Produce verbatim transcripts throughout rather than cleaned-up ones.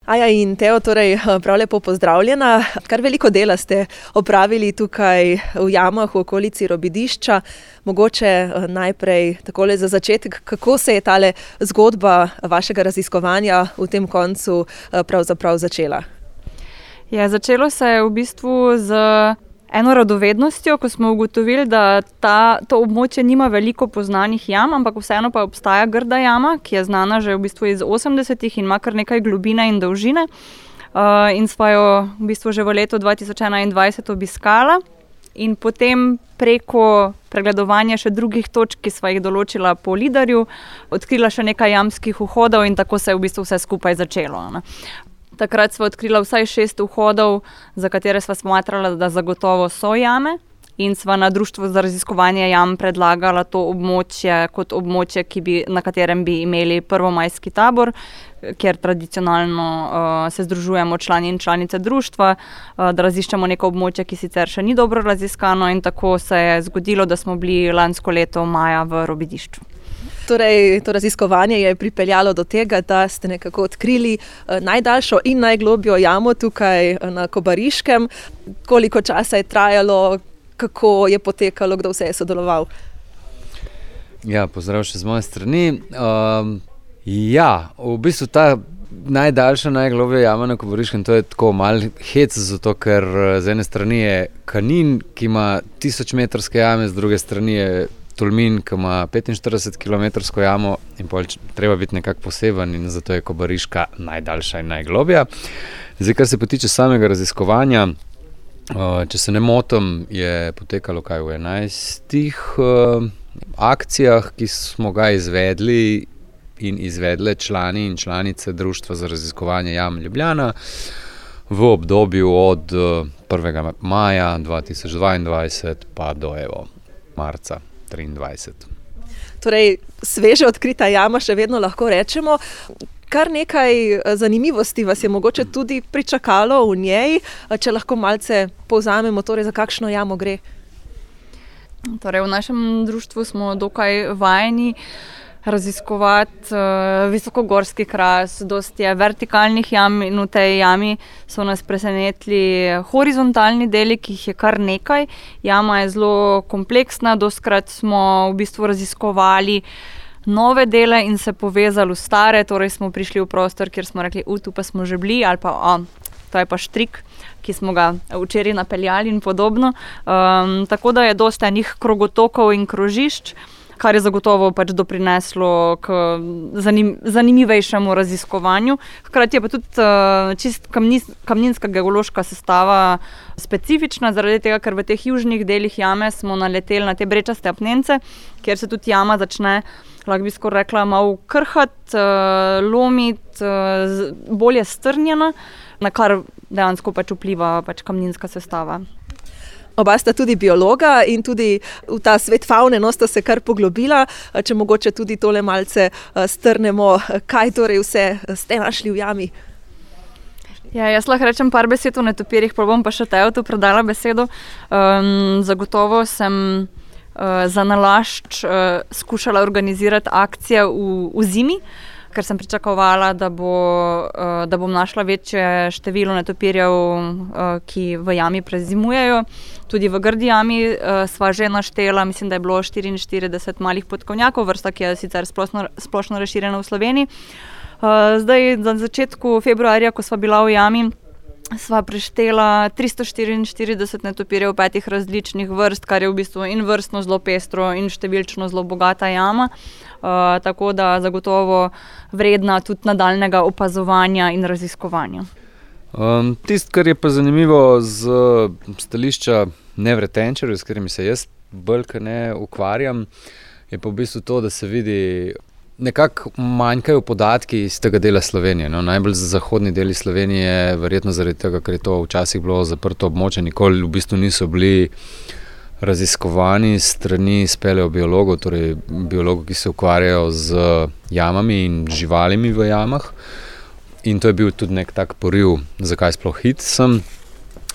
Aja in Teo, torej prav lepo pozdravljena. Kar veliko dela ste opravili tukaj v jamah v okolici Robidišča. Mogoče najprej takole za začetek, kako se je tale zgodba vašega raziskovanja v tem koncu pravzaprav začela? Ja, začelo se je v bistvu z eno radovednostjo, ko smo ugotovili, da ta, to območje nima veliko poznanih jam, ampak vseeno pa obstaja Grda jama, ki je znana že v bistvu iz osemdesetih in ima kar nekaj globine in dolžine. Uh, in sva jo v bistvu že v letu dva tisoč enaindvajset obiskala in potem preko pregledovanja še drugih točk, ki sva jih določila po Lidarju, odkrila še nekaj jamskih vhodov in tako se je v bistvu vse skupaj začelo. Ne. Takrat sva odkrila vsaj šest vhodov, za katere sva smatrala, da zagotovo so jame, in sva na Društvu za raziskovanje jam predlagala to območje kot območje, ki bi, na katerem bi imeli prvomajski tabor, kjer tradicionalno uh, se združujemo člani in članice društva, uh, da raziščemo neko območje, ki sicer še ni dobro raziskano, in tako se je zgodilo, da smo bili lansko leto maja v Robidišču. Torej, to raziskovanje je pripeljalo do tega, da ste nekako odkrili najdaljšo in najglobjo jamo tukaj na Kobariškem. Koliko časa je trajalo, kako je potekalo, kdo vse je sodeloval? Ja, pozdrav še z moje strani. Um, ja, v bistvu ta najdaljša, najglobja jama na Kobariškem, to je tako mal hec, zato ker z ene strani je Kanin, ki ima tisočmetrske jame, z druge strani je Tolmin, ki ima petinštiridesetkilometrsko jamo in pol treba biti nekako poseben in zato je Kobariška najdaljša in najglobja. Zdaj, kar se pa tiče samega raziskovanja, če se ne motim, je potekalo kaj v enajstih akcijah, ki smo ga izvedli in izvedle člani in članice Društva za raziskovanje jam Ljubljana v obdobju od prvega maja dva tisoč dvaindvajset pa do evo marca triindvajset. Torej, sveže odkrita jama, še vedno lahko rečemo. Kar nekaj zanimivosti vas je mogoče tudi pričakalo v njej, če lahko malce povzamemo, torej za kakšno jamo gre. Torej, v našem društvu smo dokaj vajeni raziskovati uh, visokogorski kras, dosti je vertikalnih jam in v tej jami so nas presenetili horizontalni deli, ki jih je kar nekaj. Jama je zelo kompleksna, dostikrat smo v bistvu raziskovali nove dele in se povezali v stare, torej smo prišli v prostor, kjer smo rekli, u, tu pa smo že bili, ali pa, a, to je pa štrik, ki smo ga včeraj napeljali in podobno. Um, tako da je dosti enih krogotokov in krožišč, kar je zagotovo pač doprineslo k zanim, zanimivejšemu raziskovanju. Hkrati je pa tudi uh, čist kamnis, kamninska geološka sestava specifična, zaradi tega, ker v teh južnih delih jame smo naleteli na te brečaste apnence, kjer se tudi jama začne, lahko bi skoraj rekla, malo krhati, uh, lomiti, uh, bolje strnjena, na kar dejansko pač vpliva pač kamninska sestava. Oba sta tudi biologa in tudi v ta svet favne no, sta se kar poglobila. Če mogoče tudi tole malce strnemo, kaj torej vse ste našli v jami? Ja, jaz lahko rečem par besed o netopirjih, pa bom pa še Tejo tu predala besedo. Um, zagotovo sem uh, za nalašč uh, skušala organizirati akcije v, v zimi, ker sem pričakovala, da, bo, uh, da bom našla večje število netopirjev, uh, ki v jami prezimujejo. Tudi v Grdi jami uh, sva že naštela, mislim, da je bilo štiriinštirideset malih podkovnjakov, vrsta, ki je sicer splošno, splošno razširjena v Sloveniji. Uh, zdaj, na začetku februarja, ko sva bila v jami, sva preštela tristo štiriinštirideset netopirjev petih različnih vrst, kar je v bistvu in vrstno zelo pestro in številčno zelo bogata jama. Uh, tako da zagotovo vredna tudi nadaljnega opazovanja in raziskovanja. Um, Tisto, kar je pa zanimivo z stališča nevretenčarjev, s katerimi se jaz bolj kot ne ukvarjam, je pa v bistvu to, da se vidi, nekako manjkajo podatki iz tega dela Slovenije. No, najbolj za zahodni deli Slovenije, verjetno zaradi tega, ker je to včasih bilo zaprto območje, nikoli v bistvu niso bili raziskovani strani speleobiologov, torej biologov, ki se ukvarjajo z jamami in živalimi v jamah. In to je bil tudi nek tak poriv, zakaj sploh hit sem.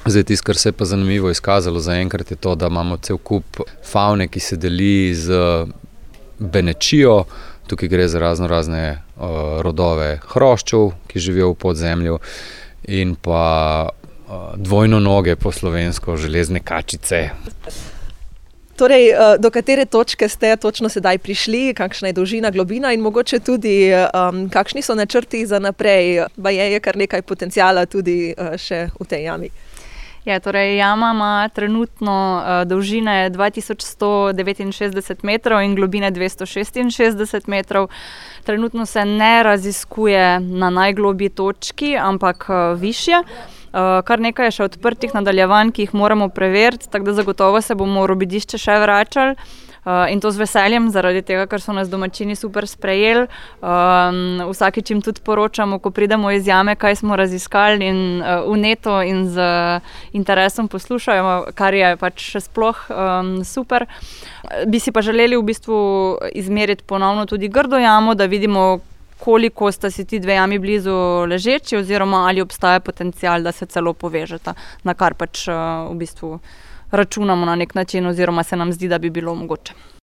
Zdaj, tisto, kar se je pa zanimivo izkazalo zaenkrat, je to, da imamo cel kup favne, ki se deli z Benečijo, Tukaj gre za razno razne uh, rodove hroščev, ki živijo v podzemlju, in pa uh, dvojno noge po slovensko, železne kačice. Torej, do katere točke ste točno sedaj prišli, kakšna je dolžina, globina in mogoče tudi um, kakšni so načrti za naprej? Baje je kar nekaj potencijala tudi uh, še v tej jami. Ja, torej, jama ima trenutno uh, dolžine dva tisoč sto devetinšestdeset metrov in globine dvesto šestinšestdeset metrov. Trenutno se ne raziskuje na najglobji točki, ampak uh, višje. Uh, kar nekaj je še odprtih nadaljevanj, ki jih moramo preveriti, tako da zagotovo se bomo v Robidišče še vračali. Uh, in to z veseljem, zaradi tega, ker so nas domačini super sprejeli. Um, vsakič jim tudi poročamo, ko pridemo iz jame, kaj smo raziskali in uh, vneto in z interesom poslušajo, kar je pač še sploh um, super. Bi si pa želeli v bistvu izmeriti ponovno tudi grdo jamo, da vidimo, koliko sta si ti dve jami blizu ležeči oziroma ali obstaja potencial, da se celo povežeta, na kar pač uh, v bistvu računamo na nek način oziroma se nam zdi, da bi bilo mogoče.